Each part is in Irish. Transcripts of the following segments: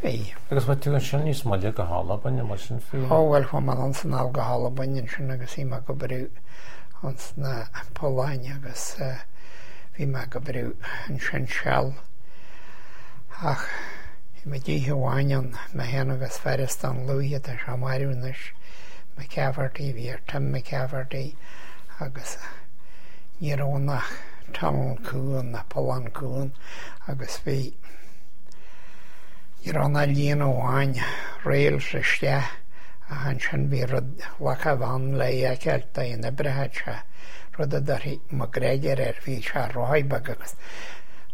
Bhí. Agus bhí tú ansin níos moille go hAlbain, an bhfuil sin fíor? Ó bhuel chuaigh mé anonn 's anall go hAlbain ansin agus bhí mé ag obair ins na polláin agus bhí mé ag obair ansin seal ach bhí muid oíche amháin ann, mé féin agus fear as Dún Lúiche, tá sé marbh anois, McCafferty, bhí air Tim McCafferty agus ní raibh ann ach tunnel cúng, ná pollán cúng agus bhí, ní raibh ann ach líne amháin, rails isteach ach ansin bhí rud, lacha a bhean le é a fheiceáil d'aon oibreoidh sé, rud a dtabharfaí McGregor air, bhí sé ar rothaí beag agus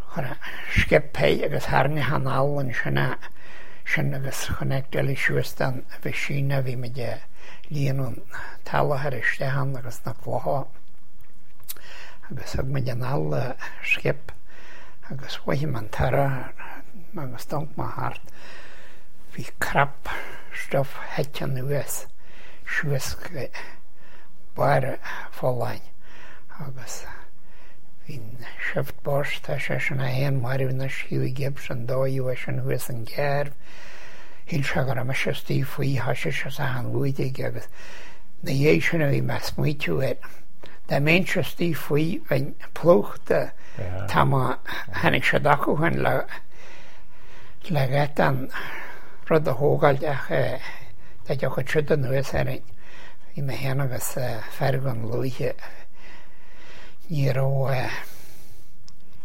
chuir skip é agus tharraing anall ansin é sin agus chonaic eile suas den mheaisín a bhí muid ag líonadh an t-eallach isteach ann agus na clocha agus thug muid anall an skip agus mhothaigh mé an toradh agus d'amharc mé thart. Bhí crap stuif thit anuas suas go barr an pholláin agus bhí an shift boss, tá seisean é féin marbh anois, Hughie Gibbs, an dóigh uaidh sin thuas an Gairbh. Shíl sé go raibh mise istigh faoi, thoisigh sé an bhuaidh aige agus 'na dhiaidh sin a bhí mé ag smaoitiú air. Dá mbeinnse istigh faoi, bheinn plúchta, tá má tháinig siad acu féin le le gheit an rud a thógáil ach dá dtiocfadh siad anuas orainn, bhí mé féin agus fear Dhún Lúiche, ní raibh,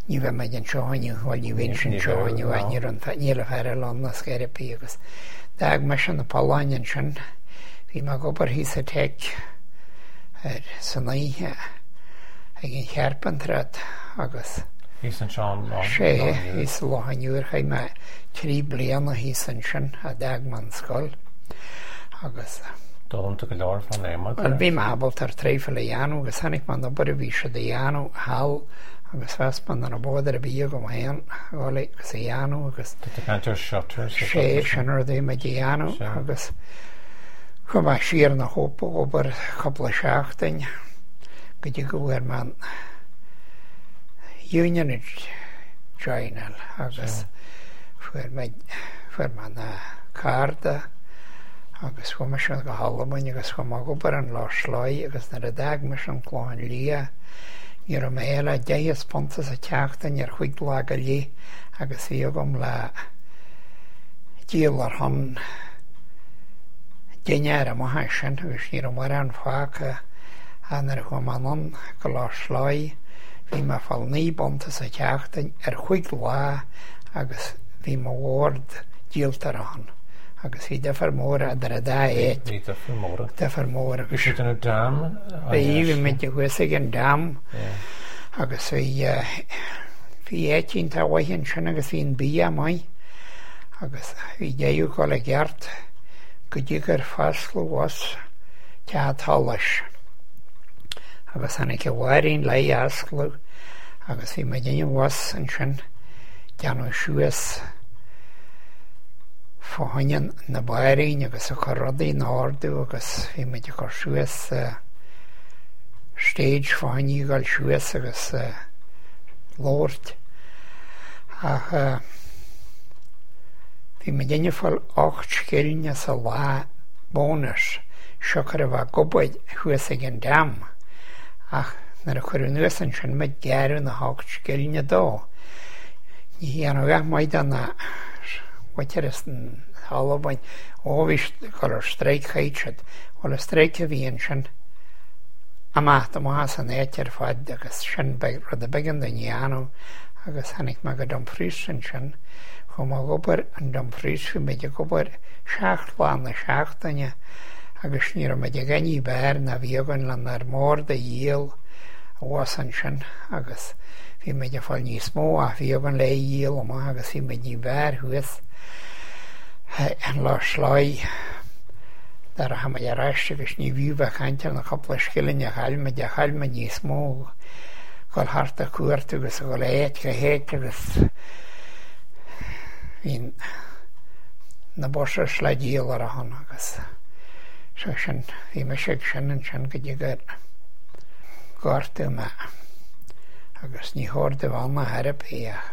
ní bheadh muid anseo inniu, bhuel ní bheinnse anseo inniu ach ní raibh, níl an fear eile ann ar scor ar bith agus d'fhág mise na polláin ansin, bhí mé ag obair thíos sa Tech ar san oíche ag an chearpantracht agus. Thíos anseo an Loch Sé, thíos sa Loch an Iúir, chaith mé 3 bliana thíos ansin a d'fhág mé an scoil agus. D'fhoghlaim tú go leor fán adhmad. Bhuel bhí mé ábalta ar traidhfil a dhéanamh agus chonaic mé an obair a bhí siad a dhéanamh thall agus mheas mé nach raibh bother ar bith agam féin a dhul agus a dhéanamh agus. Tá tú ag caint ar shutters. Sé, sin rud a bhí muid a dhéanamh agus chuaigh mé siar na Hope ag obair cúpla seachtain go dtí go bhfuair mé an Union a joináil agus fuair mé fuair mé na cárta agus chuaigh mise go hAlbain agus chuaigh mé ag obair an Loch Sloy agus nuair a d'fhág mise an Clochán Liath ní raibh mé le deich bpunta sa tseachtain ar chúig lá go leith agus bhí agam le díol ar shon dinnéar amach as sin agus ní raibh mórán fágtha ach nuair a chuaigh mé anonn go Loch Sloy bhí mé ag fáil 9 bpunta sa tseachtain ar chúig lá agus bhí mo bhord díolta ar a shon agus bhí difear mór idir an dá áit. Bhí difear mór. Difear mór agus. Bhí siad in a dam. Bhí, bhí muid thuas ag an dam agus bhí, bhí áit iontach mhaith ansin agus bhí an bia maith agus bhí deireadh ag dul i gceart go dtí gur foscladh bhus Teach an tSolais agus tháinig an Mháirín léi a oscladh agus bhí muid in bhus ansin déanamh suas fá choinne na bairín agus ag cur rudaí in ordú agus bhí muid ag cur suas stage fá choinne a dhul suas agus labhairt ach bhí muid ag fáil 8 scilling sa lá bónus siocair a bheith ag obair thuas ag an dam ach nuair a cuireadh anuas ansin muid gearradh na hocht scilling dó. Ní dhéanfadh a dhath maith do na mhuintir as an Albain. Ó bhí siad ag dul ar strike chaith siad. Bhuel an strike a bhí ansin amach amach as an áit ar fad agus sin rud a b'éigean dúinn a dhéanamh agus tháinig mé go Dumfries ansin. Chuaigh mé ag obair in Dumfries, bhí muid ag obair 7 lá na seachtaine agus ní raibh muid ag ní b'fhearr ná bhí againn lenár mbord a dhíol abhus ansin agus bhí muid ag fáil níos mó ach bhí againn le dhíol amach agus bhí muid ní b'fhearr thuas in Loch Sloy dá rachadh muid ar ais agus ní bhfiú bheith caint ar na cúpla scilling a chaill muid a chaill muid níos mó dhul thart ag cuartú agus a dhul áit go háit agus bhí na buses le díol ar a shon agus so sin bhí mise ag sin ansin go dtí gur gortaíodh mé agus ní chóir domh ann a therapy ach.